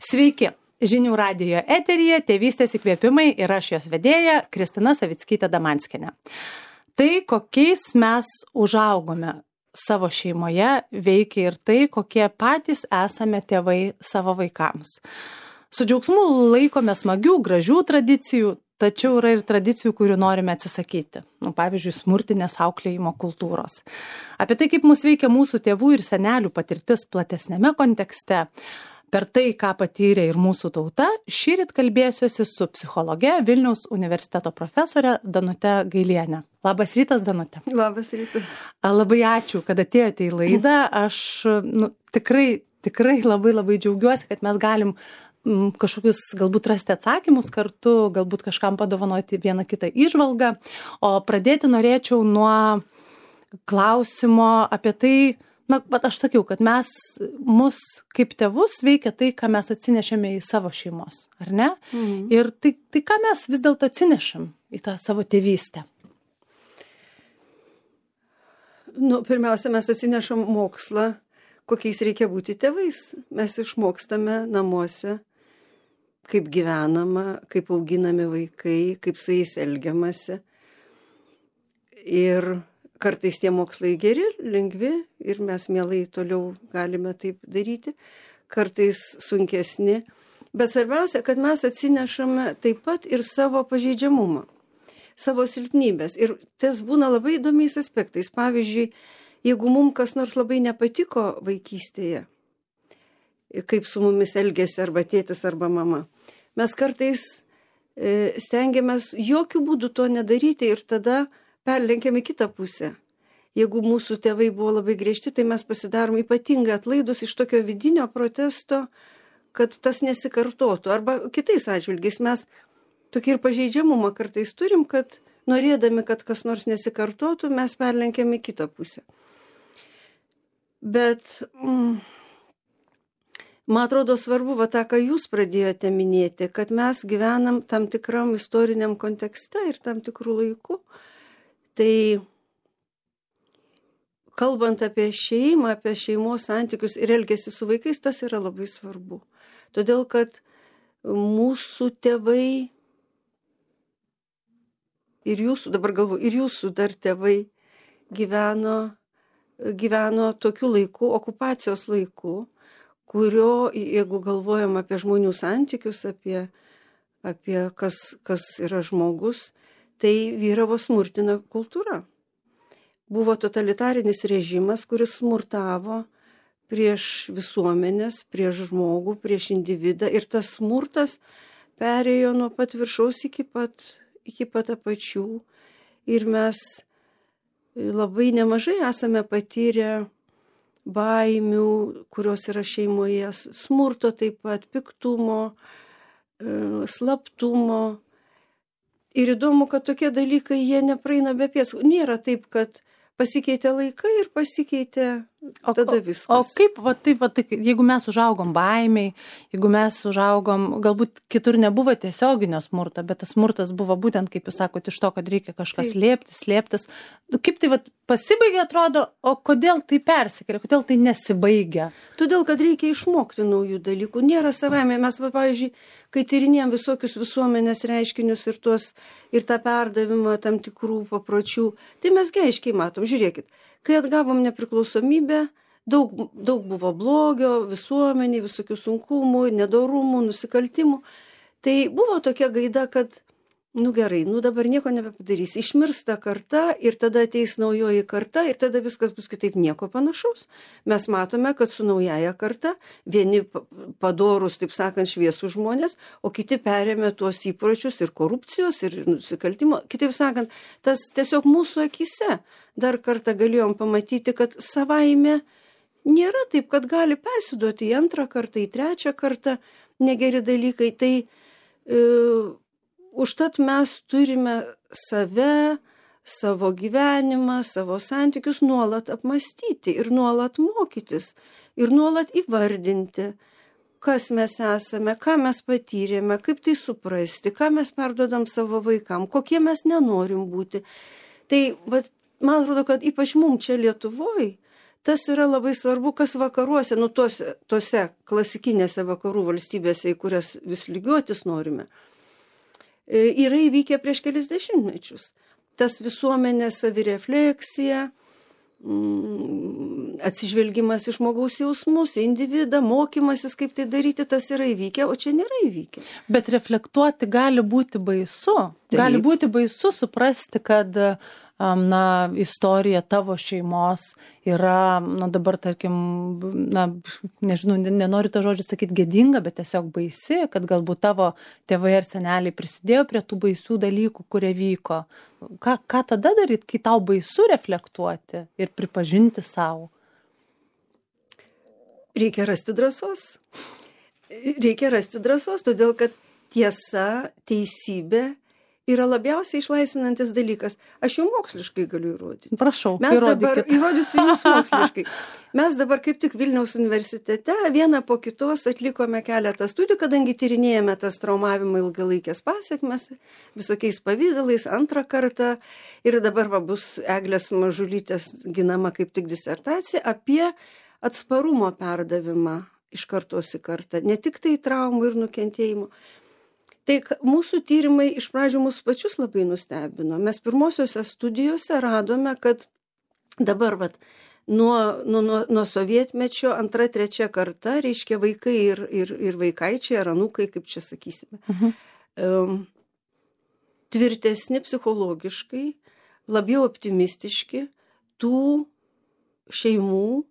Sveiki! Žinių radijo eteryje Tėvystės įkvėpimai ir aš jos vedėja Kristina Savickytė Damanskienė. Tai, kokiais mes užaugome savo šeimoje, veikia ir tai, kokie patys esame tėvai savo vaikams. Su džiaugsmu laikome smagių, gražių tradicijų, tačiau yra ir tradicijų, kurių norime atsisakyti. Pavyzdžiui, smurtinės auklėjimo kultūros. Apie tai, kaip mus veikia mūsų tėvų ir senelių patirtis platesnėme kontekste, per tai, ką patyrė ir mūsų tauta, šįryt kalbėsiuosi su psichologe Vilniaus universiteto profesore Danute Gailiene. Labas rytas, Danute. Labas rytas. Labai ačiū, kad atėjote į laidą. Aš tikrai labai džiaugiuosi, kad mes galim kažkokius galbūt rasti atsakymus kartu, galbūt kažkam padovanoti vieną kitą įžvalgą. O pradėti norėčiau nuo klausimo apie tai, aš sakiau, kad mus kaip tėvus veikia tai, ką mes atsinešėme į savo šeimos, ar ne? Ir tai, ką mes vis dėlto atsinešam į tą savo tėvystę? Pirmiausia, mes atsinešam mokslą, kokiais reikia būti tėvais. Mes išmokstame namuose, kaip gyvenama, kaip auginami vaikai, kaip su jais elgiamasi. Ir kartais tie mokslai geri, lengvi ir mes mielai toliau galime taip daryti, kartais sunkesni. Bet svarbiausia, kad mes atsinešame taip pat ir savo pažeidžiamumą, savo silpnybės. Ir tas būna labai įdomiais aspektais. Pavyzdžiui, jeigu mums kas nors labai nepatiko vaikystėje, kaip su mumis elgėsi arba tėtis arba mama, mes kartais stengiamės jokių būdų to nedaryti ir tada perlenkiam į kitą pusę. Jeigu mūsų tėvai buvo labai griežti, tai mes pasidarom ypatingai atlaidus iš tokio vidinio protesto, kad tas nesikartotų. Arba kitais atžvilgiais mes tokį ir pažeidžiamumą kartais turim, kad norėdami, kad kas nors nesikartotų, mes perlenkiam į kitą pusę. Bet man atrodo svarbu, tą, ką jūs pradėjote minėti, kad mes gyvenam tam tikram istoriniam kontekste ir tam tikrų laikų. Tai kalbant apie šeimą, apie šeimos santykius ir elgesį su vaikais, tas yra labai svarbu. Todėl, kad mūsų tėvai ir jūsų, dabar galvoju, ir jūsų dar tėvai gyveno tokiu laiku, okupacijos laiku, kurio, jeigu galvojam apie žmonių santykius, apie kas yra žmogus, tai vyravo smurtinė kultūra. Buvo totalitarinis režimas, kuris smurtavo prieš visuomenės, prieš žmogų, prieš individą. Ir tas smurtas perėjo nuo pat viršaus iki pat apačių. Ir mes labai nemažai esame patyrę baimių, kurios yra šeimoje, smurto taip pat, piktumo, slaptumo. Ir įdomu, kad tokie dalykai, jie nepraeina be pėdsakų. Nėra taip, kad pasikeitė laikai ir pasikeitė tada viskas. O kaip, jeigu mes užaugom baimiai, jeigu mes užaugom, galbūt kitur nebuvo tiesioginio smurto, bet tas smurtas buvo būtent, kaip jūs sakote, iš to, kad reikia kažkas slėptis. Kaip tai pasibaigė, atrodo, o kodėl tai persikėlė, kodėl tai nesibaigia? Todėl, kad reikia išmokti naujų dalykų. Nėra savaime. Mes, pavyzdžiui, kai tyrinėjom visokius visuomenės reiškinius ir tą perdavimą tam tikrų papročių, tai mes aiškiai matom. Žiūrėkit, kai atgavom nepriklausomybę, daug buvo blogio, visuomeniai, visokių sunkumų, nedorumų, nusikaltimų. Tai buvo tokia gaida, kad, gerai, dabar nieko nebepadarys. Išmirsta karta ir tada ateis naujoji karta ir tada viskas bus kitaip, nieko panašaus. Mes matome, kad su naujaja karta vieni padorus, taip sakant, šviesų žmonės, o kiti perėmė tuos įpročius ir korupcijos, ir nusikaltimo. Kitaip sakant, tas tiesiog mūsų akise dar kartą galėjom pamatyti, kad savaime nėra taip, kad gali persiduoti į antrą kartą, į trečią kartą negeri dalykai. Tai užtat mes turime save, savo gyvenimą, savo santykius nuolat apmąstyti ir nuolat mokytis ir nuolat įvardinti, kas mes esame, ką mes patyrėme, kaip tai suprasti, ką mes perduodam savo vaikam, kokie mes nenorim būti. Tai man atrodo, kad ypač mums čia Lietuvoje tas yra labai svarbu, kas vakaruose, tose klasikinėse vakarų valstybėse, į kurias vis lygiuotis norime, yra įvykę prieš kelis dešimtmečius. Tas visuomenės savirefleksija, atsižvelgimas į žmogaus jausmus, į individą, mokymasis, kaip tai daryti, tas yra įvykę, o čia nėra įvykę. Bet reflektuoti gali būti baisu. Taip. Gali būti baisu suprasti, kad istorija tavo šeimos yra, dabar, tarkim, nežinau, nenoriu tą žodžią sakyti gėdinga, bet tiesiog baisi, kad galbūt tavo tėvai ar seneliai prisidėjo prie tų baisių dalykų, kurie vyko. Ką tada daryti, kai tau baisu reflektuoti ir pripažinti savo? Reikia rasti drąsos. Todėl kad tiesa, teisybė yra labiausiai išlaisvinantis dalykas. Aš jau moksliškai galiu įrodyti. Prašau, įrodysiu jums moksliškai. Mes dabar kaip tik Vilniaus universitete vieną po kitos atlikome keletą studijų, kadangi tyrinėjame tas traumavimo ilgalaikės pasekmes visokiais pavydalais antrą kartą. Ir dabar bus Eglės Mažulytės ginama kaip tik disertacija apie atsparumo perdavimą iš kartos į kartą. Ne tik tai traumų ir nukentėjimų. Tai mūsų tyrimai iš pradžių mūsų pačius labai nustebino. Mes pirmosiuose studijose radome, kad dabar nuo sovietmečio antra, trečia karta, reiškia vaikai ir vaikaičiai, ar anūkai, kaip čia sakysime, tvirtesni psichologiškai, labiau optimistiški tų šeimų,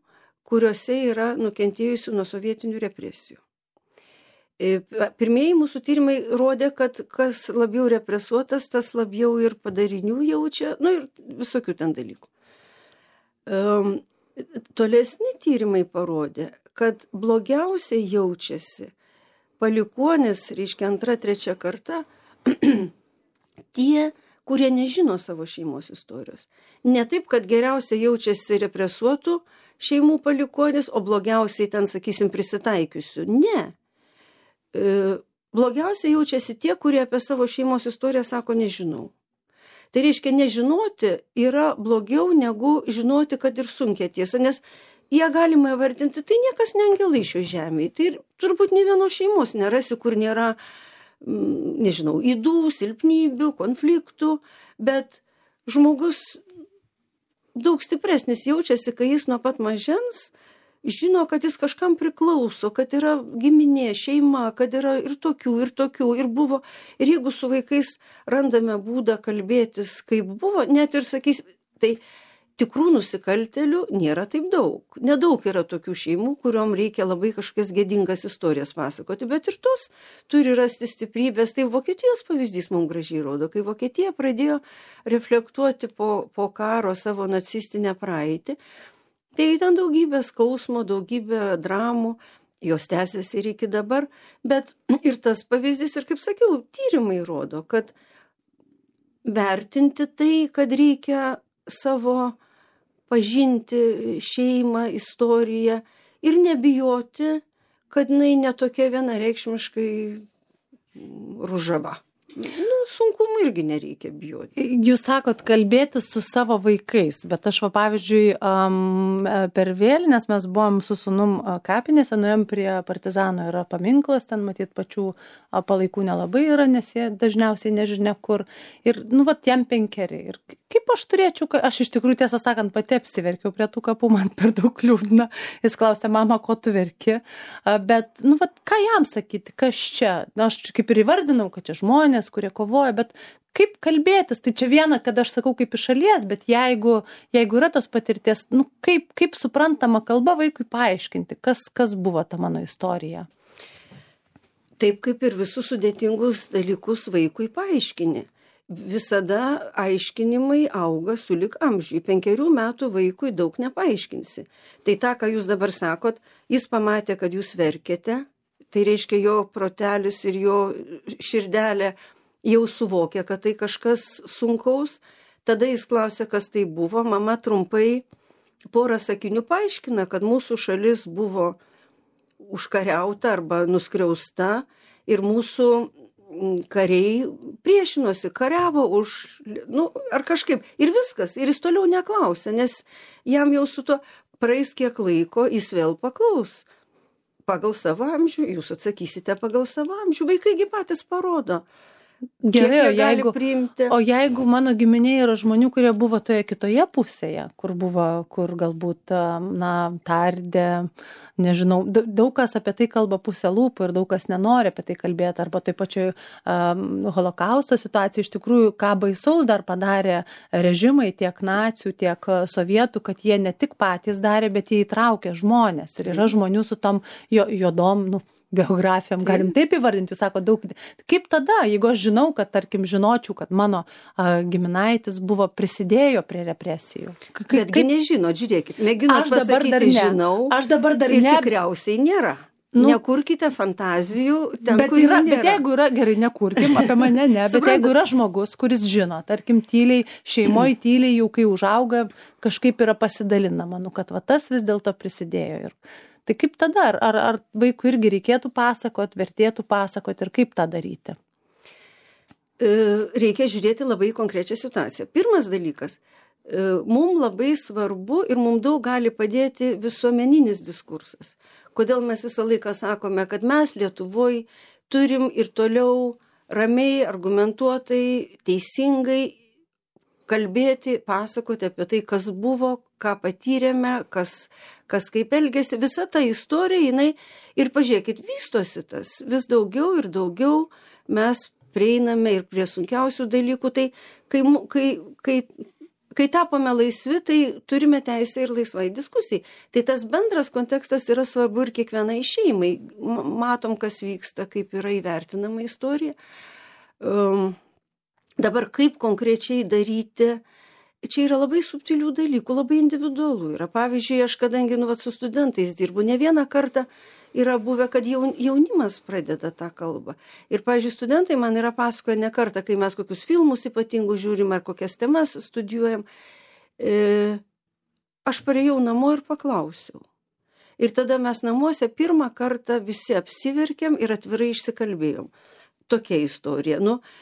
kuriuose yra nukentėjusių nuo sovietinių represijų. Pirmieji mūsų tyrimai rodė, kad kas labiau represuotas, tas labiau ir padarinių jaučia, ir visokių ten dalykų. Tolesni tyrimai parodė, kad blogiausiai jaučiasi palikuonis, reiškia antra, trečia karta, tie, kurie nežino savo šeimos istorijos. Ne taip, kad geriausiai jaučiasi represuotų šeimų palikuonis, o blogiausiai ten, sakysim, prisitaikiusių. Ne. Blogiausiai jaučiasi tie, kurie apie savo šeimos istoriją sako nežinau. Tai reiškia, nežinoti yra blogiau negu žinoti, kad ir sunkia tiesa, nes ją galima įvardinti, tai niekas ne angelai šio žemėje. Tai turbūt nė vienos šeimos nerasi, kur nėra, nežinau, ydų, silpnybių, konfliktų, bet žmogus daug stipresnis jaučiasi, kai jis nuo pat mažens žino, kad jis kažkam priklauso, kad yra giminė, šeima, kad yra ir tokių, ir buvo. Ir jeigu su vaikais randame būdą kalbėtis, kaip buvo, net ir sakys, tai tikrų nusikaltėlių nėra taip daug. Nedaug yra tokių šeimų, kuriuom reikia labai kažkokias gėdingas istorijas pasakoti, bet ir tos turi rasti stiprybės. Tai Vokietijos pavyzdys mums gražiai rodo, kai Vokietija pradėjo reflektuoti po karo savo nacistinę praeitį. Tai ten daugybė skausmo, daugybė dramų, jos tęsiasi ir iki dabar, bet ir tas pavyzdys, ir kaip sakiau, tyrimai rodo, kad vertinti tai, kad reikia savo pažinti šeimą, istoriją ir nebijoti, kad jinai netokia vienareikšmiškai ružava. Sunkumų irgi nereikia bijoti. Jūs sakot, kalbėtis su savo vaikais, bet aš, pavyzdžiui, per vėlines mes buvom su sūnum kapinėse, nuėjom prie partizano, yra paminklas, ten matyt pačių palaikų nelabai yra, nes jie dažniausiai nežinia kur. Ir, jam 5. Ir kaip aš turėčiau, aš iš tikrųjų, tiesą sakant, pati apsiverkiau prie tų kapų, man per daug liūdna. Jis klausė, mama, ko tu verki? Bet, ką jam sakyti, kas čia? Aš kaip ir įvardinau, kad čia žmonės, kurie kovoja, bet kaip kalbėtis? Tai čia viena, kad aš sakau kaip iš šalies, bet jeigu yra tos patirties, kaip suprantama kalba vaikui paaiškinti, kas buvo ta mano istorija? Taip kaip ir visus sudėtingus dalykus vaikui paaiškini. Visada aiškinimai auga sulig amžiui. 5 metų vaikui daug nepaaiškinsi. Tai tą, ką jūs dabar sakot, jis pamatė, kad jūs verkėte, tai reiškia jo protelis ir jo širdelė jau suvokė, kad tai kažkas sunkaus. Tada jis klausė, kas tai buvo. Mama trumpai porą sakinių paaiškina, kad mūsų šalis buvo užkariauta arba nuskriausta ir mūsų kariai priešinosi, kariavo ar kažkaip. Ir viskas. Ir jis toliau neklausė, nes jam jau su to praeis kiek laiko, jis vėl paklaus. Pagal savo amžių, jūs atsakysite pagal savo amžių. Vaikai patys parodo. Gerai, priimti. O jeigu mano giminėje yra žmonių, kurie buvo toje kitoje pusėje, kur galbūt, tardė, nežinau, daug kas apie tai kalba pusę lūpų ir daug kas nenori apie tai kalbėti, arba taip pačioj holokausto situacijų iš tikrųjų, ką baisaus dar padarė režimai, tiek nacių, tiek sovietų, kad jie ne tik patys darė, bet jie įtraukė žmonės. Ir yra žmonių su tom juodom, biografijom, galim taip įvardinti, jūs sako daug. Kaip tada, jeigu aš žinau, kad, tarkim, žinočiau, kad mano giminaitis prisidėjo prie represijų? Betgi nežinot, žiūrėkit, mėginot pasakyti, žinau, aš dabar dar ir tikriausiai nėra. Nekurkite fantazijų ten, kur nėra. Bet jeigu yra, gerai, nekurkim, apie mane ne, bet jeigu yra žmogus, kuris žino, tarkim, tyliai, šeimoje tyliai jau kai užauga, kažkaip yra pasidalinama, kad tas vis dėlto prisidėjo. Tai kaip tada? Ar vaikui irgi reikėtų pasakot, vertėtų pasakot ir kaip tą daryti? Reikia žiūrėti labai konkrečią situaciją. Pirmas dalykas, mums labai svarbu ir mums daug gali padėti visuomeninis diskursas. Kodėl mes visą laiką sakome, kad mes Lietuvoje turim ir toliau ramiai, argumentuotai, teisingai kalbėti, pasakoti apie tai, kas buvo, ką patyrėme, kas kaip elgėsi. Visa ta istorija, jinai, ir pažiūrėkit, vystosi tas. Vis daugiau ir daugiau mes prieiname ir prie sunkiausių dalykų. Tai kai tapome laisvi, tai turime teisę ir laisvai diskusijai. Tai tas bendras kontekstas yra svarbu ir kiekvienai šeimai. Matom, kas vyksta, kaip yra įvertinama istorija. Dabar kaip konkrečiai daryti, čia yra labai subtilių dalykų, labai individualų yra. Pavyzdžiui, aš kadangi su studentais dirbu, ne vieną kartą yra buvę, kad jaunimas pradeda tą kalbą. Ir, pavyzdžiui, studentai man yra pasakoję ne kartą, kai mes kokius filmus ypatingus žiūrim ar kokias temas studijuojam, aš parėjau namo ir paklausiau. Ir tada mes namuose pirmą kartą visi apsiverkėm ir atvirai išsikalbėjom. Tokia istorija.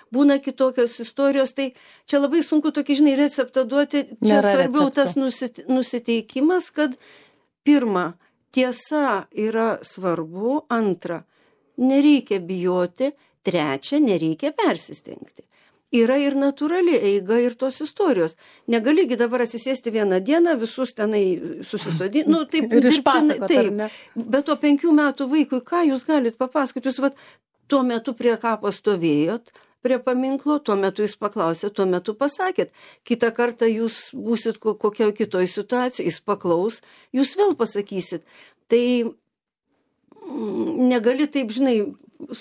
Būna kitokios istorijos, tai čia labai sunku tokį, receptą duoti. Čia svarbiau tas nusiteikimas, kad pirma, tiesa yra svarbu, antra, nereikia bijoti, trečia, nereikia persistengti. Yra ir natūrali eiga ir tos istorijos. Negaligi dabar atsisėsti vieną dieną, visus tenai susisodinti. Taip, ir išpasakot, taip. Bet to 5 metų vaikui, ką jūs galit papasakoti? Jūs tuo metu prie kapo stovėjot, prie paminklo, tuo metu jis paklausė, tuo metu pasakėt. Kitą kartą jūs būsit kokioje kitoje situacijoje, jis paklaus, jūs vėl pasakysit. Tai negali taip,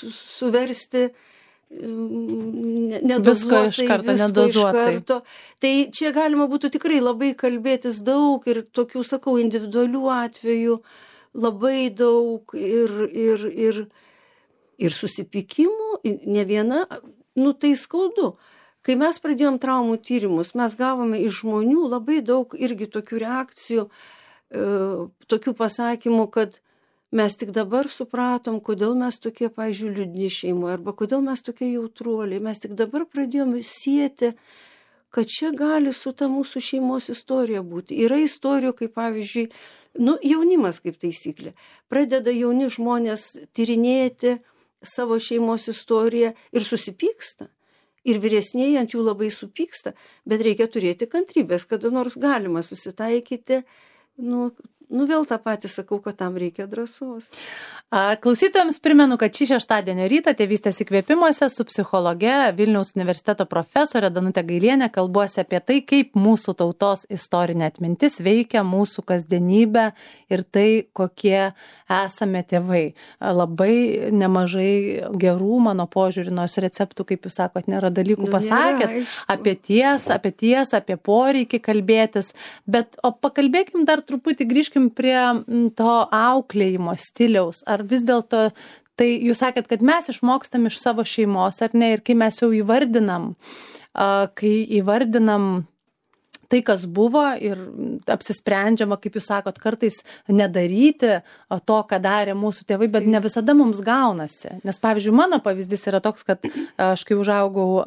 suversti nedozuotai. Tai čia galima būtų tikrai labai kalbėtis daug ir tokių, sakau, individualių atvejų labai daug ir susipykimų, ne viena, tai skaudu. Kai mes pradėjom traumų tyrimus, mes gavome iš žmonių labai daug irgi tokių reakcijų, tokių pasakymų, kad mes tik dabar supratom, kodėl mes tokie, pavyzdžiui, liūdni šeimoje, arba kodėl mes tokie jautruoliai. Mes tik dabar pradėjom sieti, kad čia gali su ta mūsų šeimos istorija būti. Yra istorijų, kaip pavyzdžiui, jaunimas kaip taisyklė. Pradeda jauni žmonės tyrinėti savo šeimos istoriją ir susipyksta. Ir vyresnieji ant jų labai supyksta, bet reikia turėti kantrybės, kada nors galima susitaikyti. Vėl tą patį sakau, kad tam reikia drąsos. Klausytojams primenu, kad šį šeštadienio rytą Tėvystės įkvėpimuose su psichologe Vilniaus universiteto profesorė Danutė Gailienė kalbuosi apie tai, kaip mūsų tautos istorinė atmintis veikia mūsų kasdienybę ir tai, kokie esame tėvai. Labai nemažai gerų mano požiūrį, nors receptų, kaip jūs sakot, nėra dalykų pasakėt, apie tiesą, apie poreikį kalbėtis, bet pakalbėkim dar truputį, grįžkim prie to auklėjimo stiliaus. Ar vis dėlto, tai jūs sakėt, kad mes išmokstam iš savo šeimos, ar ne, ir kai mes jau įvardinam tai, kas buvo ir apsisprendžiama, kaip jūs sakot, kartais nedaryti to, ką darė mūsų tėvai, bet ne visada mums gaunasi. Nes, pavyzdžiui, mano pavyzdys yra toks, kad aš kai užaugau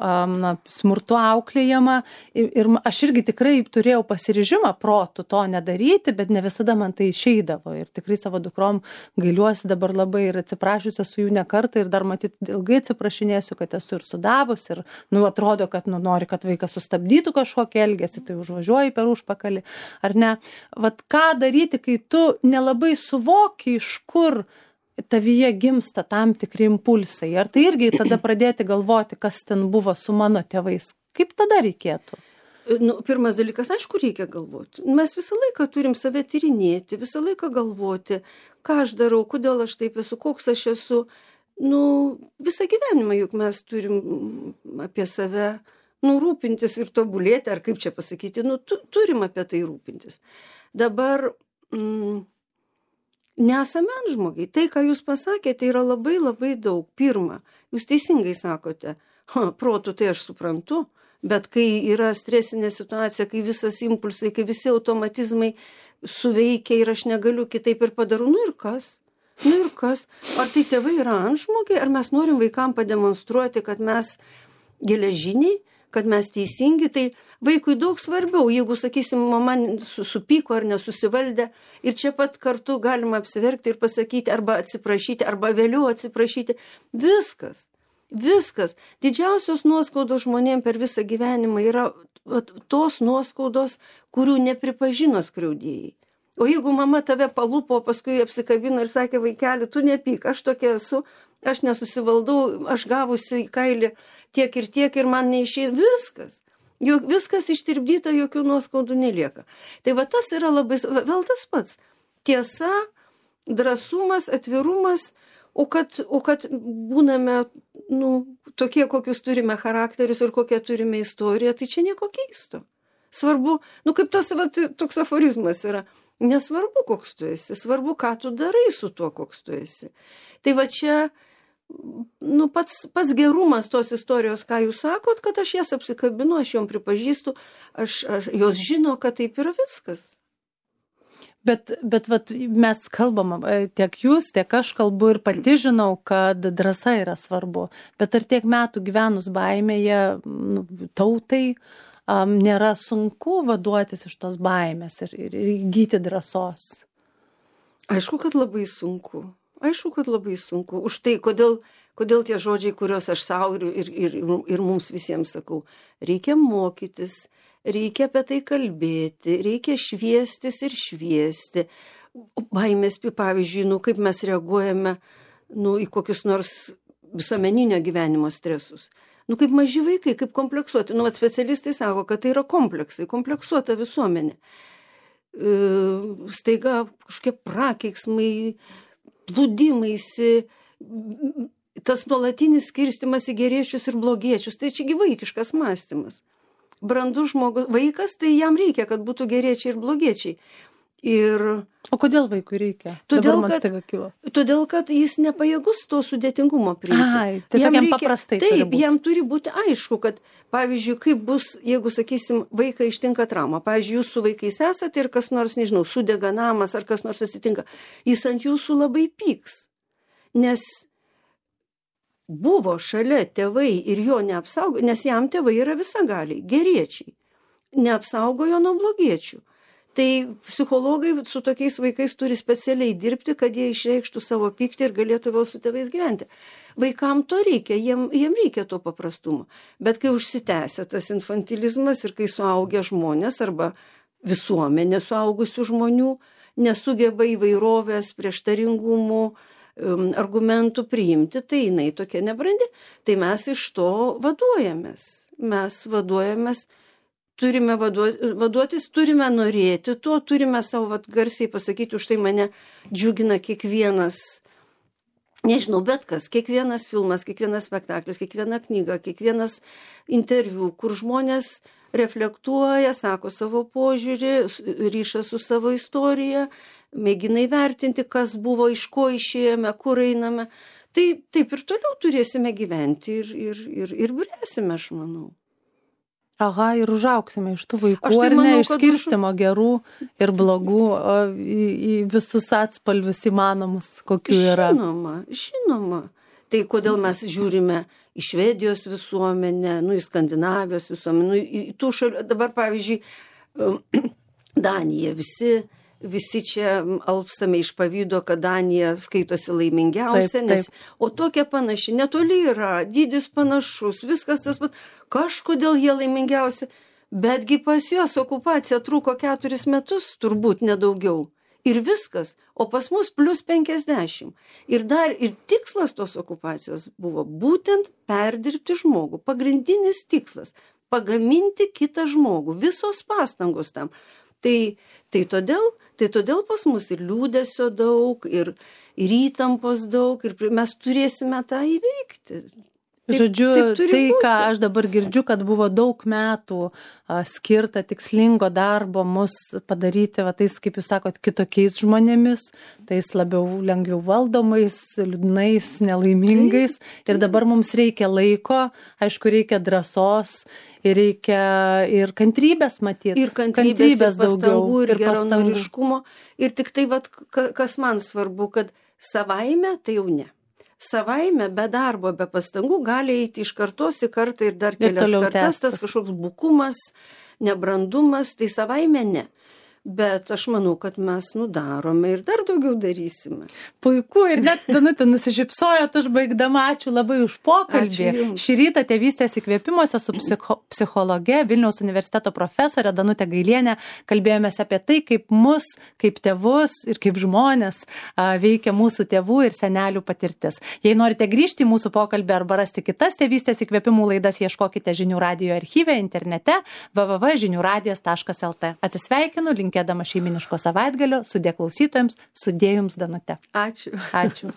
smurtu auklėjama ir aš irgi tikrai turėjau pasiryžimą protu to nedaryti, bet ne visada man tai išeidavo. Ir tikrai savo dukrom gailiuosi dabar labai ir atsiprašiusi esu jų ne kartą ir dar matyt ilgai atsiprašinėsiu, kad esu ir sudavus ir, atrodo, kad nori, kad vaikas sustabdytų kažkokį elgesį, tai užvažiuoji per užpakalį, ar ne? Vat ką daryti, kai tu nelabai suvoki, iš kur tavyje gimsta tam tikri impulsai? Ar tai irgi tada pradėti galvoti, kas ten buvo su mano tėvais? Kaip tada reikėtų? Pirmas dalykas, aišku, reikia galvoti. Mes visą laiką turim save tyrinėti, visą laiką galvoti, ką aš darau, kodėl aš taip esu, koks aš esu. Visą gyvenimą juk mes turim apie save rūpintis ir tobulėti, ar kaip čia pasakyti, turim apie tai rūpintis. Dabar nesame antžmogiai. Tai, ką jūs pasakėte, yra labai labai daug. Pirma, jūs teisingai sakote, protu tai aš suprantu, bet kai yra stresinė situacija, kai visas impulsai, kai visi automatizmai suveikia ir aš negaliu kitaip ir padarau, ir kas? Ir kas? Ar tai tėvai yra antžmogiai, ar mes norim vaikam pademonstruoti, kad mes geležiniai, kad mes teisingi, tai vaikui daug svarbiau, jeigu, sakysim, mama supyko ar nesusivaldė ir čia pat kartu galima apsiverkti ir pasakyti arba atsiprašyti, arba vėliau atsiprašyti. Viskas. Didžiausios nuoskaudos žmonėm per visą gyvenimą yra tos nuoskaudos, kurių nepripažino skriaudėjai. O jeigu mama tave palupo, paskui apsikabino ir sakė, vaikeli, tu nepyk, aš tokia esu, aš nesusivaldau, aš gavusi į kailį tiek ir man neišėjo, viskas ištirpdyta, jokių nuoskaudų nelieka. Tai va tas yra labai, vėl tas pats, tiesa, drąsumas, atvirumas, o kad būname, tokie, kokius turime charakterius ir kokią turime istoriją, tai čia nieko keisto. Svarbu, kaip tas toks aforizmas yra, nesvarbu, koks tu esi, svarbu, ką tu darai su tuo, koks tu esi. Tai va čia, pats gerumas tos istorijos, ką jūs sakot, kad aš jas apsikabinu, aš jom pripažįstu, jos žino, kad taip yra viskas. Bet mes kalbam, tiek jūs, tiek aš kalbu ir pati žinau, kad drąsa yra svarbu. Bet ar tiek metų gyvenus baimėje tautai nėra sunku vaduotis iš tos baimės ir įgyti drąsos? Aišku, kad labai sunku. Už tai, kodėl tie žodžiai, kuriuos aš savo ir mums visiems sakau, reikia mokytis, reikia apie tai kalbėti, reikia šviestis ir šviesti. Baimės, pavyzdžiui, kaip mes reaguojame į kokius nors visuomeninio gyvenimo stresus. Kaip maži vaikai, kaip kompleksuoti. Specialistai sako, kad tai yra kompleksai, kompleksuota visuomenė. Staiga kažkokie prakeiksmai, plūdimaisi, tas nuolatinis skirstimas į geriečius ir blogiečius. Tai čia vaikiškas mąstymas. Brandus žmogus, vaikas, tai jam reikia, kad būtų geriečiai ir blogiečiai. O kodėl vaikui reikia? Todėl, kad jis nepajėgus to sudėtingumo priimti. Tiesiog jam paprastai turi būti. Jam turi būti aišku, kad, pavyzdžiui, kaip bus, jeigu, sakysim, vaiką ištinka trauma. Pavyzdžiui, jūs su vaikais esate ir kas nors, nežinau, sudega namas ar kas nors atsitinka. Jis ant jūsų labai pyks. Nes buvo šalia tėvai ir jo neapsaugo, nes jam tėvai yra visagaliai, geriečiai. Neapsaugojo nuo blogiečių. Tai psichologai su tokiais vaikais turi specialiai dirbti, kad jie išreikštų savo pyktį ir galėtų vėl su tėvais gyventi. Vaikam to reikia, jiem reikia to paprastumo. Bet kai užsitęsia tas infantilizmas ir kai suaugę žmonės arba visuomenė suaugusių žmonių nesugeba įvairovės, prieštaringumų, argumentų priimti, tai jinai tokia nebrandi. Tai mes iš to vaduojamės. Turime vaduotis, turime norėti to, turime savo garsiai pasakyti, už tai mane džiugina kiekvienas, nežinau, bet kas, kiekvienas filmas, kiekvienas spektaklis, kiekviena knyga, kiekvienas interviu, kur žmonės reflektuoja, sako savo požiūrį, ryšą su savo istorija, mėgina įvertinti, kas buvo, iš ko išėjome, kur einame. Tai taip ir toliau turėsime gyventi ir bręsime, aš manau. Aha, ir užauksime iš tų vaikų, Aš tai ar ne, manau, iš kad skirstymo gerų ir blogų į visus atspalvius įmanomus, kokių yra. Žinoma. Tai kodėl mes žiūrime į Švedijos visuomenę, į Skandinavijos visuomenę, į tų šalių, dabar pavyzdžiui, Danija, visi čia alpstame iš pavydo, kad Danija skaitosi laimingiausia, Taip. o tokia panaši, netoli yra, dydis panašus, viskas tas pat, kažkodėl jie laimingiausi, betgi pas juos okupacija truko 4 metus, turbūt nedaugiau. Ir viskas, o pas mus plus 50. Ir tikslas tos okupacijos buvo būtent perdirbti žmogų. Pagrindinis tikslas – pagaminti kitą žmogų. Visos pastangos tam. Tai todėl pas mus ir liūdesio daug, ir įtampos daug, ir mes turėsime tą įveikti. Žodžiu, ką aš dabar girdžiu, kad buvo daug metų skirta tikslingo darbo mus padaryti, tais, kaip jūs sakot, kitokiais žmonėmis, tais lengviau valdomais, liūdnais, nelaimingais. Ir dabar mums reikia laiko, aišku, reikia drąsos ir reikia ir kantrybės matyti. Ir kantrybės, ir pastangų, ir pastangų. Geranoriškumo. Ir tik tai, kas man svarbu, kad savaime tai jau ne. Savaime, be darbo, be pastangų gali eiti iš kartos į kartą ir dar kelias kartas, tas kažkoks bukumas, nebrandumas, tai savaime ne. Bet aš manau, kad mes darome ir dar daugiau darysime. Puiku, ir net Danutė nusišypsojot užbaigdama, ačiū labai už pokalbį. Šį rytą Tėvystės įkvėpimuose su psichologe, Vilniaus universiteto profesorė Danutė Gailienė kalbėjomės apie tai, kaip mus, kaip tėvus ir kaip žmonės veikia mūsų tėvų ir senelių patirtis. Jei norite grįžti į mūsų pokalbį arba rasti kitas Tėvystės įkvėpimų laidas, ieškokite Žinių radijo archyve internete www.žiniuradijas.lt. Atsisveikinu, linkėdama šeiminiško savaitgalio, sudie klausytojams, sudie jums, Danute. Ačiū. Ačiū.